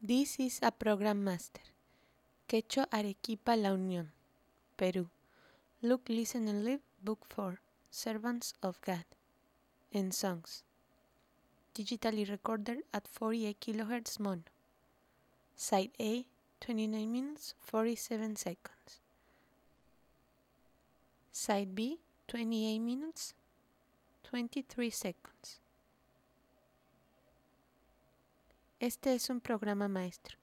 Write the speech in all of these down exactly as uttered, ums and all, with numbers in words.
This is a program master. Quechua Arequipa La Unión, Peru. Look, Listen and Live, Book four, Servants of God, and Songs. Digitally recorded at forty-eight kilohertz mono. Side A, twenty-nine minutes, forty-seven seconds. Side B, twenty-eight minutes, twenty-three seconds. Este es un programa maestro.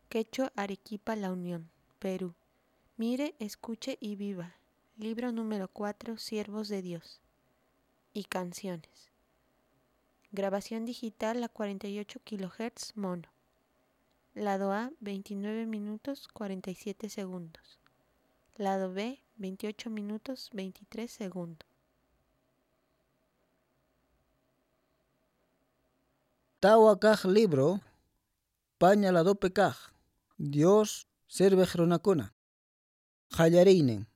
Quechua Arequipa La Unión, Perú. Mire, escuche y viva. Libro número cuatro, Siervos de Dios. Y canciones. Grabación digital a cuarenta y ocho kilohertz mono. Lado A, veintinueve minutos cuarenta y siete segundos. Lado B, veintiocho minutos veintitrés segundos. Tawa kaq libro, paña ladopi kaq, Dios sirviq runakuna. Qallariynin.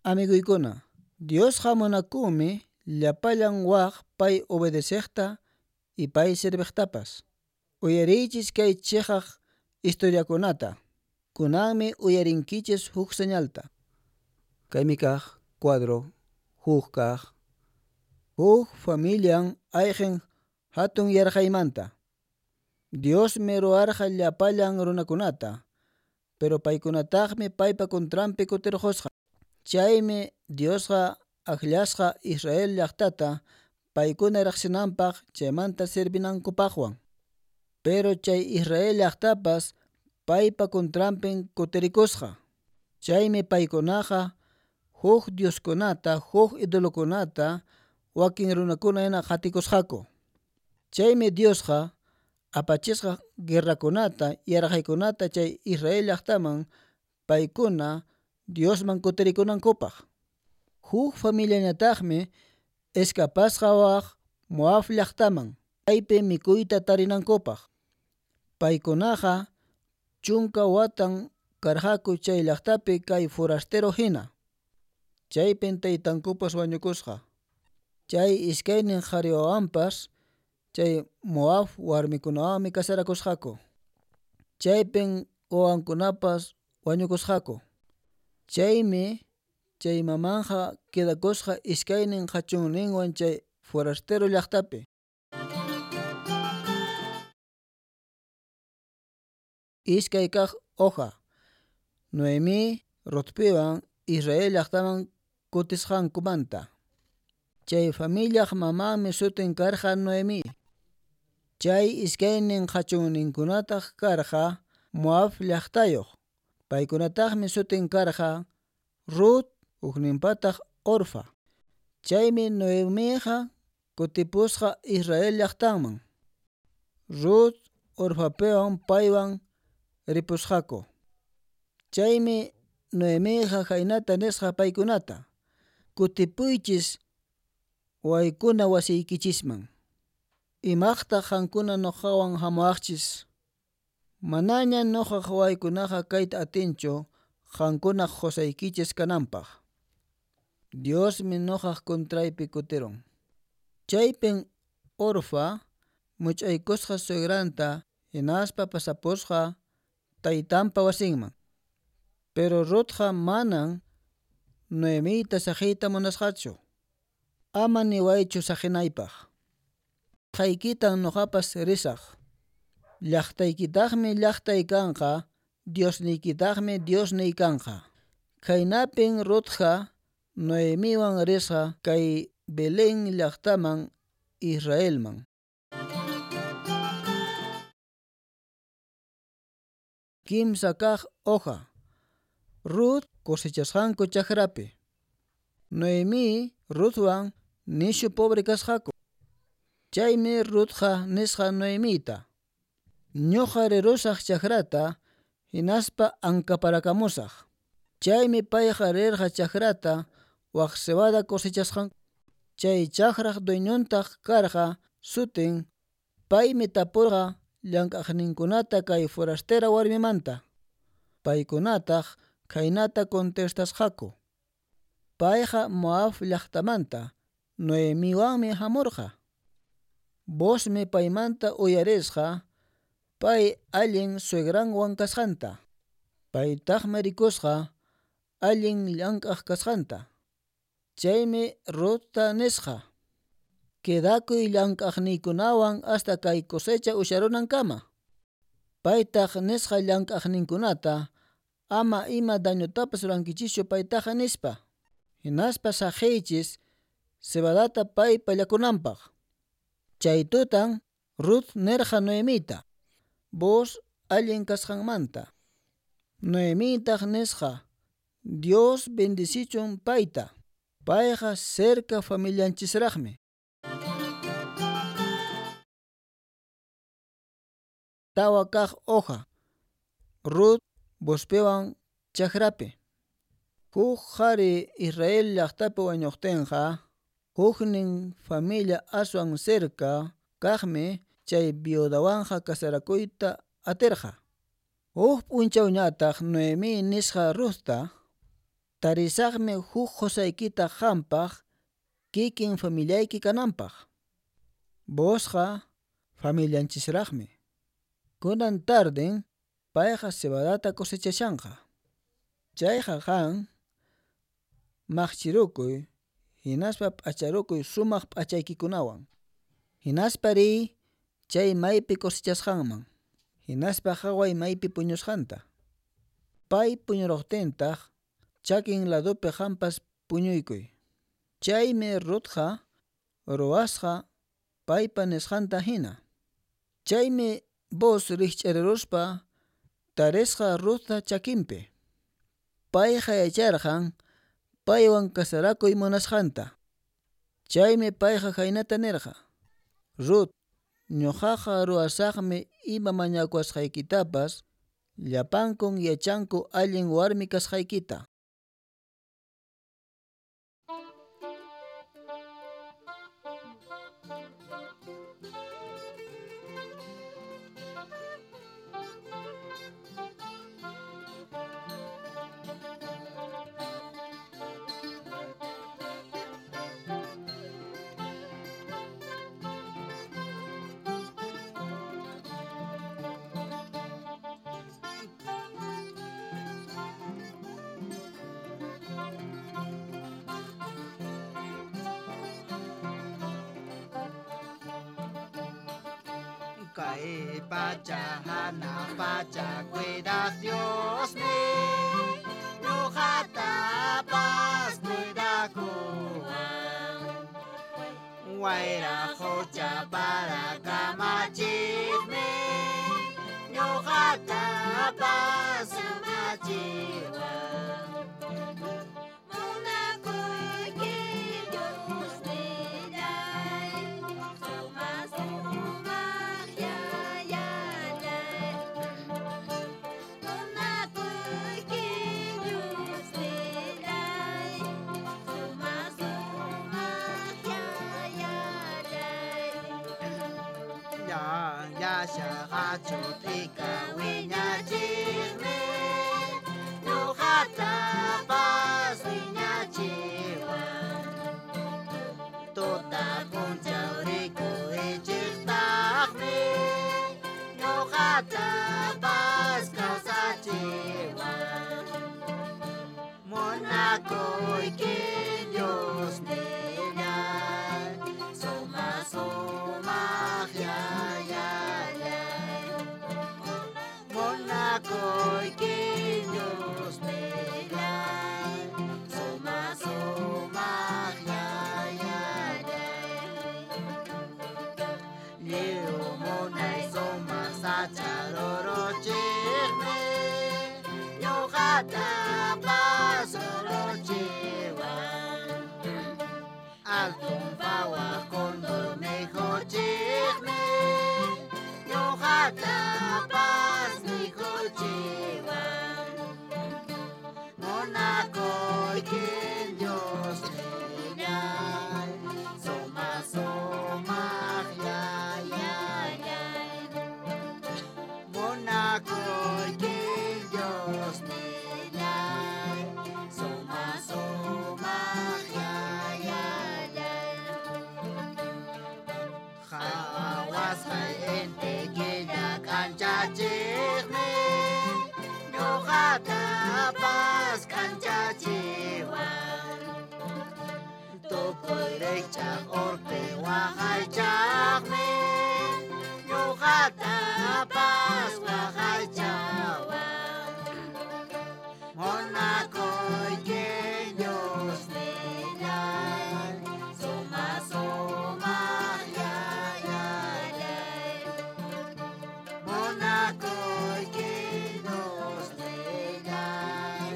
Amiguykuna, Diosqa munakunmi llapallan waq pay obedeceqta y pay sirviqtapas. Uyariychis kay chiqaq historiakunata. Kunanmi uyarinkichis huk señalta. Kaymi kaq cuadro, huk kaq. Huk familian ayqin hatun yarqaymanta. Diosmi ruwarqa llapallan runakunata, pero paykunataqmi paypa contranpi kutirqusqa. Chaymi Diosqa akllasqa Israel llaqtata paykuna riqsinanpaq chaymanta servinankupaqwan. Pero chay Israel llaqtapas paypa contranpin kutirikusqa. Chaymi paykunaqa huk dioskunata, huk idolokunata wakin runakuna hina qatikusqaku. Chaymi Diosqa apachisqa guerrakunata, yarqaykunata chay Israel llaqtaman paykuna Diosman kutirikunankupaq. Huk familiañataqmi escapasqa waq Moab llaqtaman, chaypi mikuyta tarinankupaq. Paykunaqa chunka watan karqaku chay llaqtapi kay forastero hina. Chaypin taytankupas wañukusqa. Chay iskaynin qhari wawanpas chay Moab warmikunawanmi casarakusqaku. Chaypin wawankunapas wañukusqaku. Chaymi chay mamanja quedakusqa iskaynin qhachunninwan chay forastero llaqtapi. Iskay kaq hoja. Noemí Rutpiwan Israel llaqtaman kutisqankumanta. Chay familiaq mamanmi sutin karqa Noemí. Chay iskaynin qhachunninkunataq karqa Moab llaqtayuq. Paykunataqmi sutin karqa Rut, hukninpataq Orfa. Chaymi Noemiqa kutipusqa Israel llaqtanman. Rut Orfapiwan paywan ripusqaku. Chaymi Noemiqa khaynata nisqa paykunata: Kutipuychis waykuna wasiykichisman. Imaqtaq qankuna nuqawan hamuwaqchis? Manaña nuqaq waykunaqa kayta atinchu qankunaq qusaykichis kananpaq. Diosmi nuqaq contraypi kutirun. Chaypin Orfa much'aykusqa suegranta hinaspa pasapusqa taytanpa wasinman. Pero Rutqa manan Noemita saqiyta munasqachu. Ama niwaychu saqinaypaq. Qaykitan nuqapas risaq. Llaqtaykitaqmi llaqtay kanqa, Diosniykitaqmi Diosniy kanqa. Khaynapin Rutqa Noemiwan risqa kay Belén llaqtaman Israelman. Kimsa kaq hoja. Rut cosechasqanku chakrapi. Noemí Rutwan nishu pobre kasqaku. Chaymi Rutqa nisqa Noemita: Ñuqa rirusaq chakrata hinaspa ankaparakamusaq. Chaymi payqa rirqa chakrata waq cebada cosechasqan. Chay chakraq dueñontaq karqa sutin paymi tapurqa llank'aqninkunata kay forastera warmimanta. Paykunataq khaynata contestasqaku: Payqa Moab llaqtamanta Noemiwanmi hamurqa. Boozmi paymanta uyarisqa pay allin suegranwan kasqanta. Paytaqmi rikusqa allin llank'aq kasqanta. Chaymi Ruthta nisqa: Quedakuy llank'aqniykunawan hasta kay cosecha usharunankama. Paytaq nisqa llank'aqninkunata ama ima dañotapas rurankichischu paytaqa nispa. Hinaspa saqiychis cebadata pay pallakunanpaq. Chay tutan Ruth nirqa Noemita, Booz allin kasqanmanta. Noemitaq nisqa: Dios bendicichun payta. Payqa cerca familianchisraqmi. Tawa kaq hoja. Ruth Boozpiwan chakrapi. Huk qhari Israel llaqtapi wañuqtinqa, huknin familia aswan cerca kaqmi chay viudawanqa casarakuyta atirqa. Huk p'unchawñataq Noemí nisqa Ruthta: Tarisaqmi huk qusaykita qampaq kikin familiayki kananpaq. Boozqa familianchisraqmi. Kunan tarden payqa cebadata cosechashanqa. Chayqa qan maqchirukuy hinaspa p'acharukuy sumaq p'achaykikunawan. Hinaspa riy chay maypi cosechasqanman. Hinaspa qhaway maypi puñusqanta. Pay puñuruqtintaq chakin ladupi qampas puñuykuy. Chaymi Ruthqa ruwasqa paypa nisqanta hina. Chaymi Booz rikch'ariruspa tarisqa Ruthta chakinpi. Payqa yacharqan paywan casarakuy munasqanta. Chaymi payqa khaynata nirqa: Ruth, ñuqaqa ruwasaqmi ima mañakuwasqaykitapas, llapankun yachanku allin warmi kasqaykita. Kay pacha hana pacha cuida Dios mi ñuqatapas cuidakuwan wayra qucha para kamachikmi ñuqatapas kamachiwan. Munakuyki Diosnillay, sumaq sumaq yayallay. Munakuyki Diosnillay, sumaq sumaq yayallay. Llasha hachutika wiñachikmi ñuqatapas wiñachiwan tuta p'unchaw rikuychiktaqmi ñuqatapas kawsachiwan. Munakuyki Diosnillay, sumaq sumaq yayallay. Munakuyki Diosnillay, sumaq sumaq yayallay. Lliw munay sumaq sacha ruruchikmi ñuqatapas ruruchiwan. Altun pawaq cóndor mikhuchikmi ñuqatapas mikhuchiwan. Munakuyki Diosnillay, sumaq sumaq yayallay. Munakuyki Diosnillay, sumaq sumaq yayallay. Qhawasqay inti killa k'ancha Ñuqatapas k'anchachiwan tukuy rikch'aq urpi waqaychaqmi ñuqatapas waqaychawan munakuyki Diosnillay suma sumaq yayallay munakuyki Diosnillay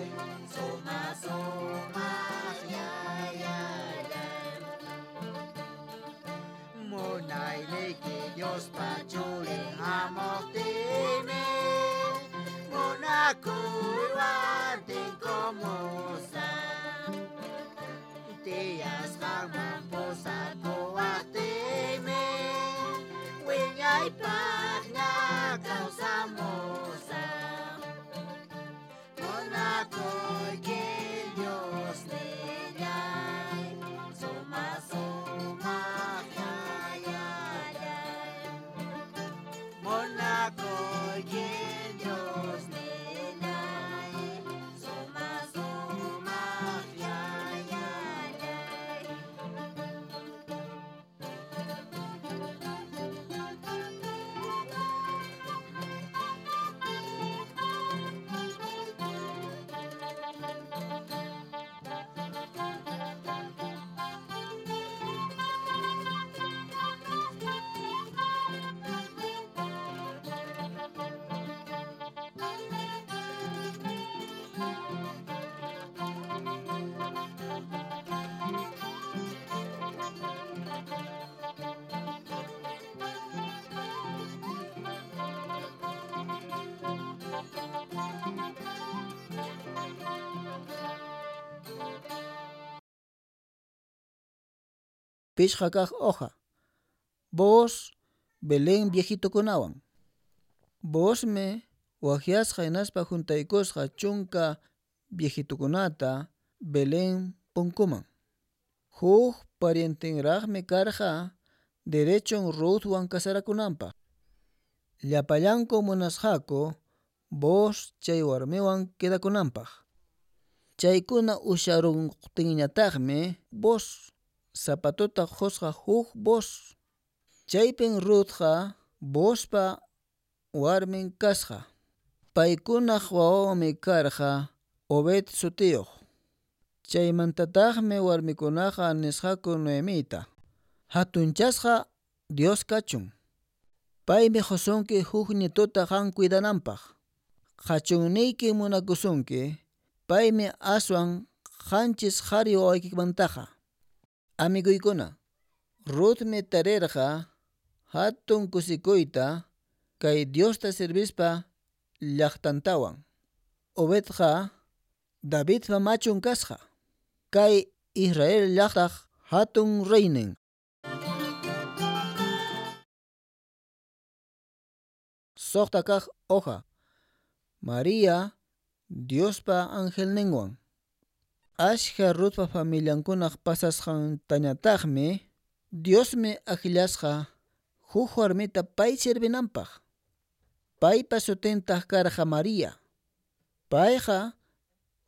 suma sumaq yayallay munayniyki Diospa churin hamuqtiymi munakuywan tinkumusaq tiyasqanman pusakuwaqtiymi wiñaypaqña kawsamusaq munakuyki Diosnillay suma sumaq yayallay munakuyki Diosnillay suma sumaq yayallay. Pichqa kaq hoja. Booz Belén viejitukunawan. Boozmi waqyasqa hinaspa juntaykusqa chunka viejitukunata Belén punkuman. Huk parientenraqmi karqa derechon Ruthwan kasarakunanpaq. Llapallanku munasqaku Booz chay warmiwan quedakunanpaq. Chaykuna usharuqtinñataqmi Booz zapatuta qusqa huk Booz. Chaypin Ruthqa Boozpa warmin kasqa. Paykunaq wawanmi karqa Obed sutiyuq. Chaymantataqmi warmikunaqa nisqaku Noemita: Hatunchasqa Dios kachun. Paymi qusunki huk ñituta qam cuidananpaq. Qhachunniyki munakusunki, paymi aswan qanchis qhari wawaykimantaqa. Amiguykuna, Ruthmi tarirqa hatun kusikuyta kay Diosta servispa llaqtantawan. Obedqa Davidpa machun kasqa. Kay Israel llaqtaq hatun reynin. Suqta kaq hoja. María Diospa angelninwan. Ashka Ruthpa familiankunaq pasasqantañataqmi Diosmi akllasqa huk warmita pay servinanpaq. Paypa sutintaq karqa María. Payqa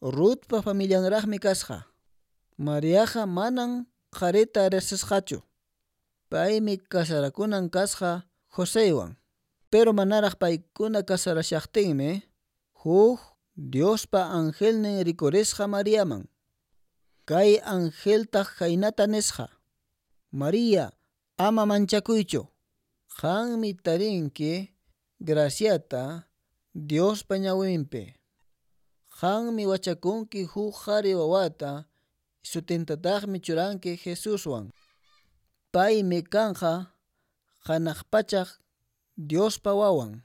Ruthpa familianraqmi kasqa. Mariaqa manan qharita riqsisqachu. Paymi kasarakunan kasqa Joseywan. Pero manaraq paykuna kasarashaqtinmi huk Diospa angelnin rikurisqa Mariaman. Kay angeltaq khaynata nisqa: María, ama manchakuychu. Qanmi tarinki graciata Diospa ñawinpi. Qanmi wachakunki huk qhari wawata, sutintataqmi churanki Jesuswan. Paymi kanqa hanaq pachaq Diospa wawan.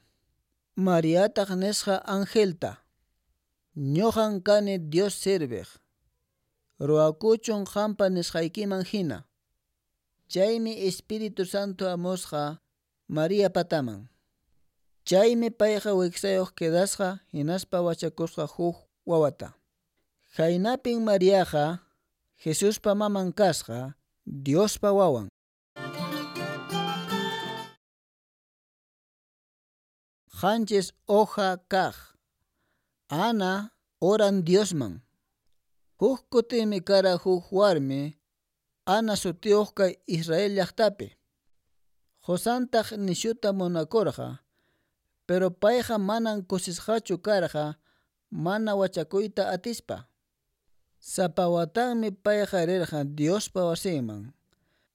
Mariataq nisqa angelta: Ñuqan kani Dios serviq. Ruwakuchun qampa nisqaykiman hina. Chaymi Espíritu Santo hamusqa María pataman. Chaymi payqa wiksayuq quedasqa hinaspa wachakusqa huk wawata. Khaynapin Mariaqa Jesuspa maman kasqa Diospa wawan. Qanchis hoja kaq. Ana Oran Diosman. Huk kutimi kara huk warmi Ana sutiyuq kay Israel llaqtapi. Qusantaq nishuta munakurqa, pero payqa manan kusisqachu karqa mana wachakuyta atispa. Sapa watanmi payqa rirqa Diospa wasinman.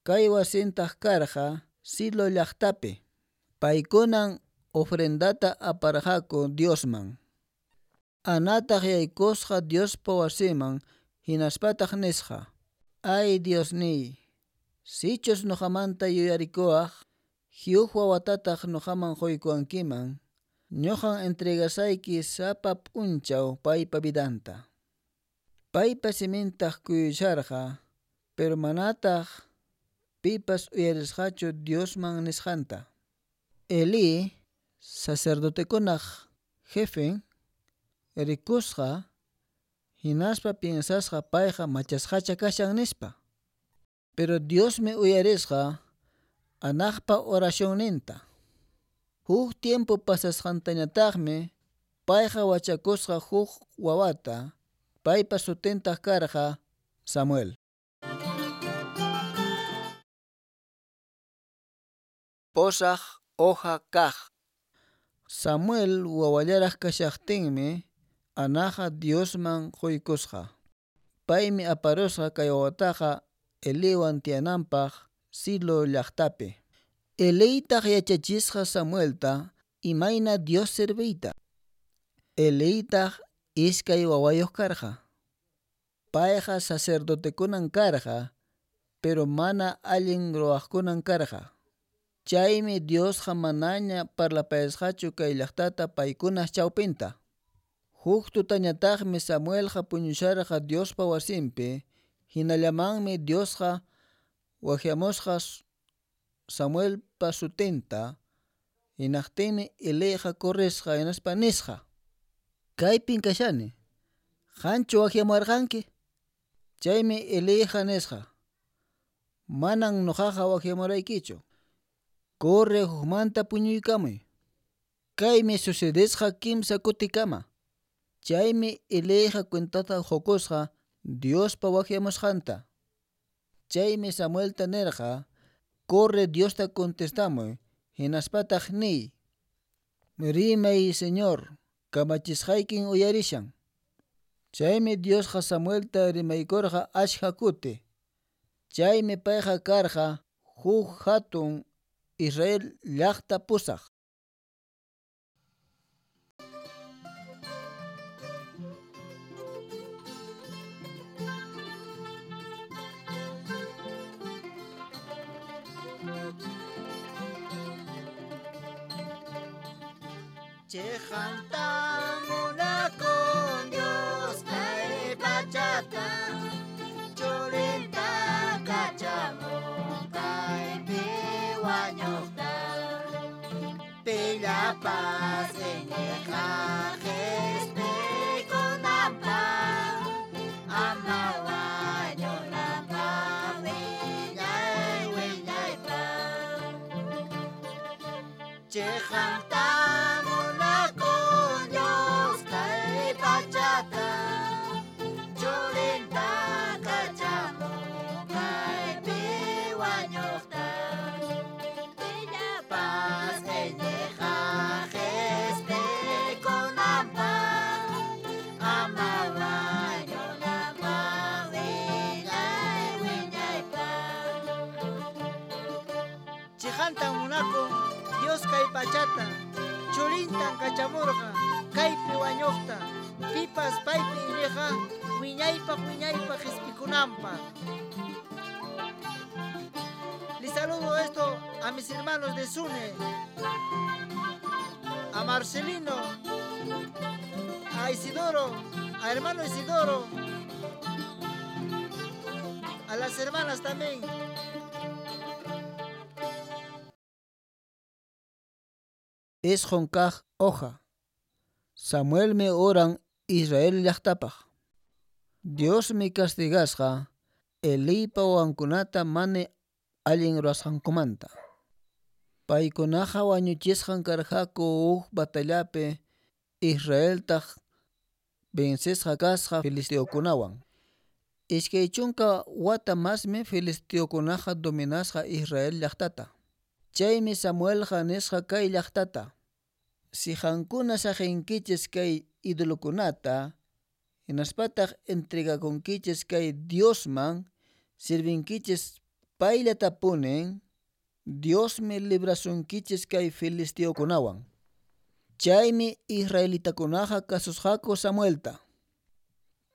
Kay wasintaq karqa Silo llaqtapi. Paykunan ofrendata aparqaku Diosman. Anataq yaykusqa Diospa wasinman hinaspataq nisqa: Ay Diosniy, sichus nuqamanta yuyarikuwaq, huk wawatataq nuqaman quykuwankiman, ñuqan entregasayki sapa p'unchaw paypa vidanta. Paypa simintaq kuyusharqa, pero manataq pipas uyarisqachu Diosman nisqanta. Elí, sacerdotekunaq jefen, rikusqa hinaspa piensasqa payqa machasqacha kashan nispa. Pero Diosmi uyarisqa Anaqpa oracionninta. Huk tiempo pasasqantañataqmi payqa wachakusqa huk wawata, paypa sutintaq karqa Samuel. Posaq hoja kaq. Samuel wawallaraq kashaqtinmi Anaqa Diosman quykusqa. Paymi aparusqa kay wawataqa Eliwan tiyananpaq Silo llaqtapi. Eliytaq yachachisqa Samuelta imayna Dios serviyta. Eliytaq iskay wawayuq karqa. Payqa sacerdotekunan karqa, pero mana allin ruwaqkunan karqa. Chaymi Diosqa manaña parlapayasqachu kay llaqtata paykunaq chawpinta. Huk tutañataqmi Samuelqa puñusharqa Diospa wasinpi, hinallamanmi Diosqa waqyamusqa Samuelpa sutinta, hinaqtinmi Eliyqa corrisqa hinaspa nisqa: Kaypin kashani, qanchu waqyamuwarqanki? Chaymi Eliyqa nisqa: Manan nuqaqa waqyamuraykichu. Corre hukmanta puñuykamuy. Kaymi sucedesqa kimsa kutikama. Chaymi Eliyqa cuentata qukusqa Diospa waqyamusqanta. Chaymi Samuelta nirqa: Corre Diosta contestamuy, hinaspataq niy: Rimay Señor, kamachisqaykin uyarishan. Chaymi Diosqa Samuelta rimaykurqa achka kuti. Chaymi payqa karqa huk hatun Israel llaqta pusaq. Chejanta munakun Dios kay pachata, churinta kachamun kaypi wañuqta. Pillapas iñiqqa qhispikunanpaq, ama wañunanpaq wiñay wiñaypaq. Chejanta munakun Dios kay pachata, churinta kachamun kaypi wañuqta. Pillapas iñiqqa qhispikunanpaq, ama wañunanpaq wiñay wiñaypaq. Chejanta munakun Dios kay pachata, churintan kachamurqa kaypi wañuqta, pipas paypi iñiqqa wiñaypaq wiñaypaq qhispikunanpaq. Les saludo esto a mis hermanos de Sune, a Marcelino, a Isidoro, a hermano Isidoro, a las hermanas también. Isqun kaq hoja. Samuelmi oran Israel llaqtapaq. Diosmi castigasqa Eliypa wawankunata mana allin ruwasqankumanta. Paykunaqa wañuchisqan karqaku huk batallapi Israeltaq vencesqa kasqa filisteokunawan. Iskay chunka wata masmi filisteokunaqa dominasqa Israel llaqtata. Chaymi Samuelqa nisqa kay llaqtata: Si qankuna saqinkichis kay idolokunata, hinaspataq entregakunkichis kay Diosman, sirvinkichis payllatapunin, Diosmi librasunkichis kay filisteokunawan. Chaymi israelitakunaqa kasusqaku Samuelta.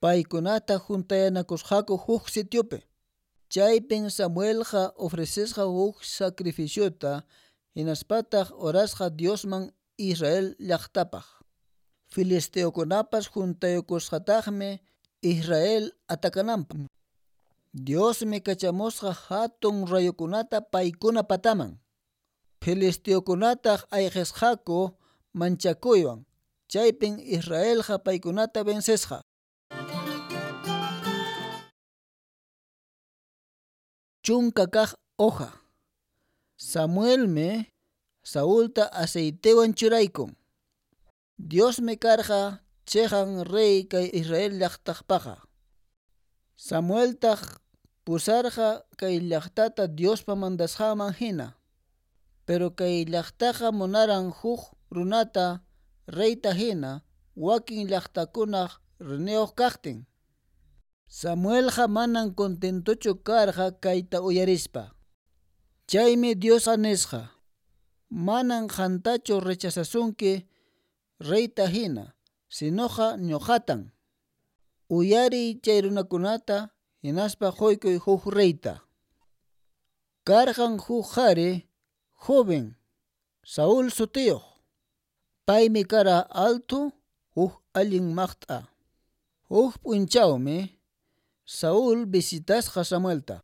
Paykunata juntayanakusqaku huk sitiopi. Chaypin Samuelqa ofrecesqa huk sacrificiota hinaspataq orasqa Diosman Israel llaqtapaq. Filisteokunapas juntayukusqataqmi Israel atakananpaq. Diosmi kachamusqa hatun rayukunata paykuna pataman. Filisteokunataq ayqisqaku manchakuywan. Chaypin Israelqa paykunata vencesqa. Chunka kaq hoja. Samuelmi Saulta aceitewan churaykun. Diosmi karqa chiqan rey kay Israel llaqtaqpaqa. Samueltaq pusarqa kay llaqtata Diospa mandasqanman hina. Pero kay llaqtaqa munaran huk runata reyta hina wakin llaqtakunaq riniyuq kaqtin. Samuelqa manan contentochu karqa kayta uyarispa. Chaymi Diosqa nisqa: Manan qantachu rechazasunki reyta hina, sinoqa ñuqatan. Uyariy chay runakunata hinaspa quykuy huk reyta. Karqan huk qhari joven Saúl sutiyuq. Paymi kara alto huk allin maqt'a. Huk p'unchawmi Saúl visitasqa Samuelta.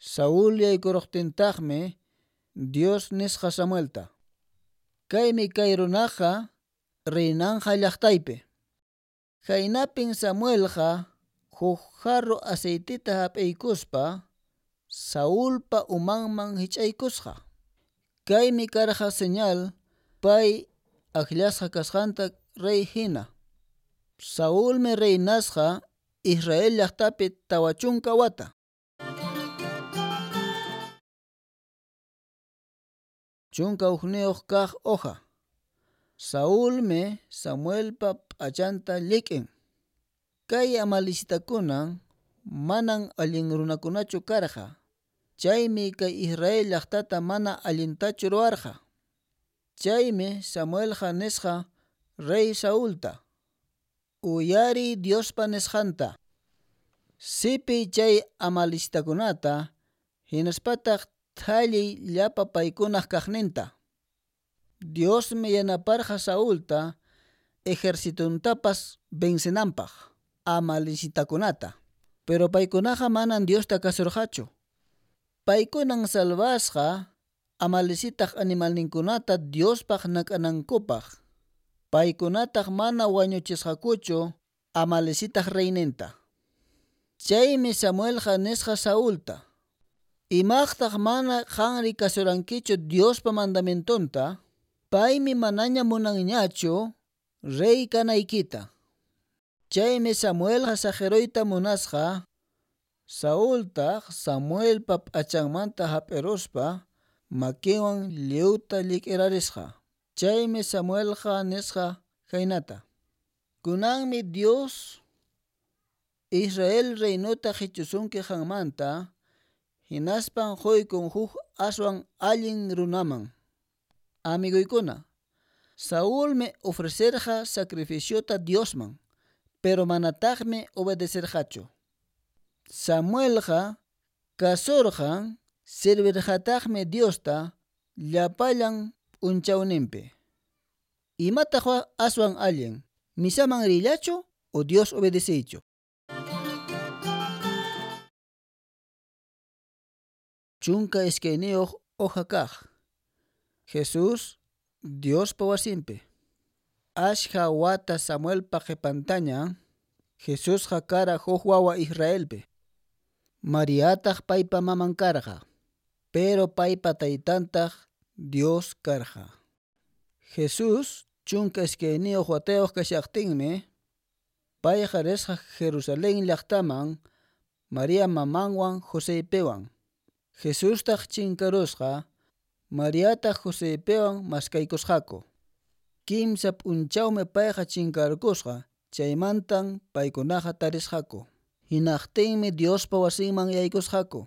Saúl yaykuruqtintaqmi Dios nisqa Samuelta: Kaymi kay runaqa reynanqa llaqtaypi. Khaynapin Samuelqa huk jarro aceitita hap'iykuspa Saulpa umanman hich'aykusqa. Kaymi karqa señal pay akllasqa kasqanta rey hina. Saulmi reynasqa Israel llaqtapi tawa chunka wata. Chunka hukniyuq kaq hoja. Saulmi Samuelpa p'achanta llik'in. Kay amalicitakunan manan allin runakunachu karqa. Chaymi kay Israel llaqtata mana allintachu ruwarqa. Chaymi Samuelqa nisqa rey Saulta: Uyariy Diospa nisqanta. Sipiy chay amalicitakunata hinaspataq thalliy llapa paykunaq kaqninta. Diosmi yanaparqa Saulta ejercitontapas vencenanpaq amalicitakunata. Pero paykunaqa manan Diosta kasurqachu. Paykunan salvasqa amalicitaq animalninkunata Diospaq nak'anankupaq. Paykunataq mana wañuchisqakuchu amalicitaq reyninta. Chaymi Samuelqa nisqa Saulta: Imaqtaq mana qanri kasurankichu Diospa mandamientonta? Paymi manaña munanñachu rey kanaykita. Chaymi Samuelqa saqiruyta munasqa. Saultaq Samuelpa p'achanmanta hap'iruspa makinwan lliwta llik'irarisqa. Chaymi Samuelqa nisqa khaynata: Kunanmi Dios Israel reinota qichusunki qanmanta, hinaspan quykun huk aswan allin runaman. Amiguykuna, Saulmi ofrecerqa sacrificiota Diosman, pero manataqmi obedecerqachu. Samuelqa kasurqan servirqataqmi Diosta llapallan p'unchawninpi. Imataq aswan allin, misaman riyllachu o Dios obedeciychu? Chunka iskayniyuq hoja kaq. Jesús Diospa wasinpi. Ashkha wata Samuelpa qhipantaña Jesusqa kara huk wawa Israelpi. Mariataq paypa maman karqa, pero paypa taytantaq Dios karqa. Jesús chunka iskayniyuq watayuq kashaqtinmi Payqa risqa Jerusalén llaqtaman Maria mamanwan Joseypiwan. Jesustaq chinkarusqa, Mariataq Joseypiwan maskaykusqaku. Kimsa p'unchawmi payqa chinkarkusqa, chaymantan paykunaqa tarisqaku. Hinaqtinmi Diospa wasinman yaykusqaku.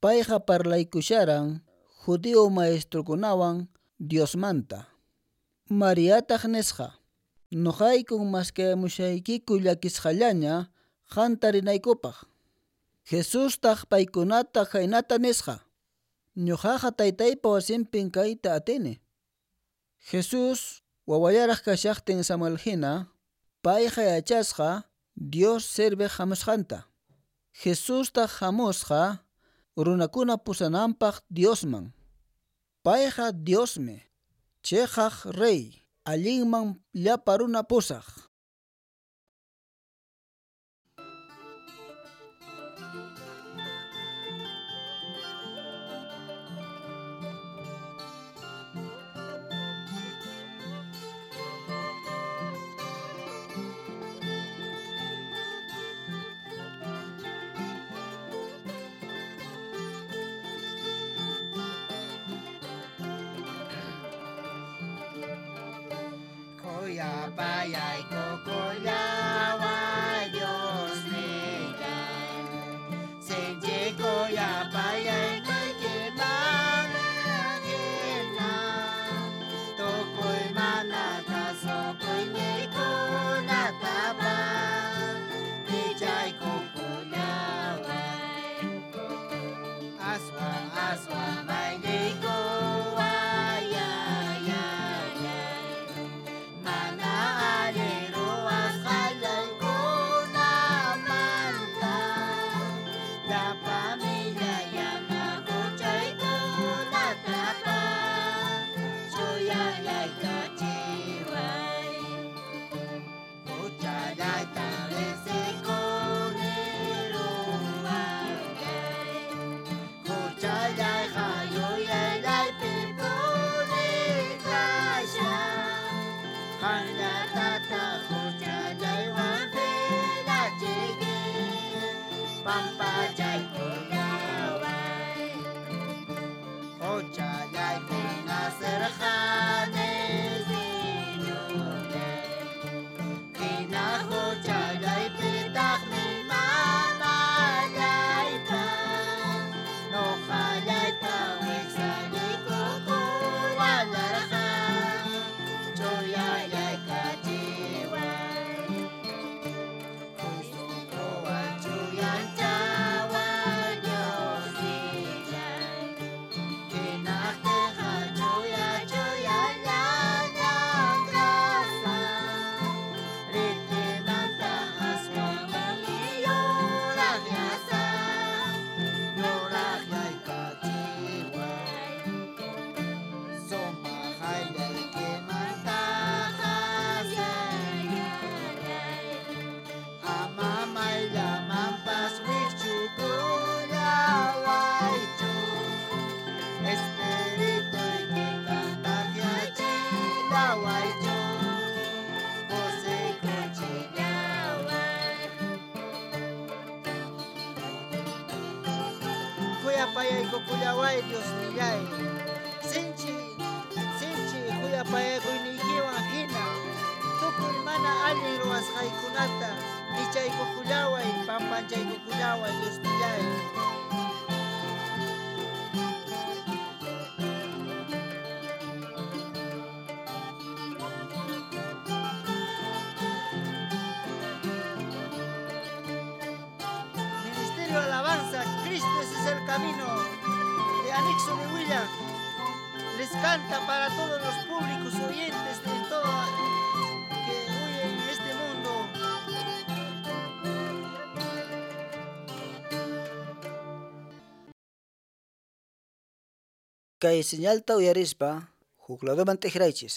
Payqa parlaykusharan judío maestrukunawan Diosmanta. Mariataq nisqa: Nuqaykun maskayamushaykiku llakisqallaña qanta rinaykupaq. Jesustaq paykunata khaynata nisqa: Ñuqaqa taytaypa wasinpin kayta atini. Jesús wawallaraq kashaqtin Samuel hina, payqa yachasqa Dios serviq hamusqanta. Jesustaq hamusqa runakuna pusananpaq Diosman. Payqa Diosmi, chiqaq rey, allinman llapa runa pusaq. Payay kukullaway Dios nillay, sinchi kuyapayay kuykiman hina, tukuy mana kasukuyninkunatapas pichay kukullaway, aswan aswan maylikuway ay ay ay. Mana allin ruwasqallaykunamanta, llapa millayana huchaykunatapas chuyallaykachiway. Huchallayta riqsikuni ruwallay, huchallayqa yuyaylaypi puni kashan. Qanllatata huchallaywan phiñachiyki, pampachaykullaway. Huchallaypi nacerqani Señorllay, hina huchallaypitaqmi mamallaypa, nuqallayta wiksallaykukuwalarqa, chuyallaykachiway. Sunquwan chuyanchaway Dios nillay, hinaqtinqa chuya chuyallañan kasaq, ritimanta aswanmi yuraqyasaq, yuraqyaykachiway. Sumaq ayllaykimantaqa Yayalay, ama mayllamanpas wikchukullawaychu, Espirituykitan takyachillawaychu, kusikuchillaway. Kuyapayaykukullaway Dios nillay, sinchi sinchi kuyapayakuynikiwan hina, tukuy mana allin ruwasqaykunata pichaykukullaway, pampachaykukullaway Dios nillay. Ministerio Alabanza, Cristo ese es el camino, de Anexo de Huilla, les canta para todos los públicos oyentes de todo que oyen en este mundo. Kay señalta uyarispa huk ladoman t'ikraychis.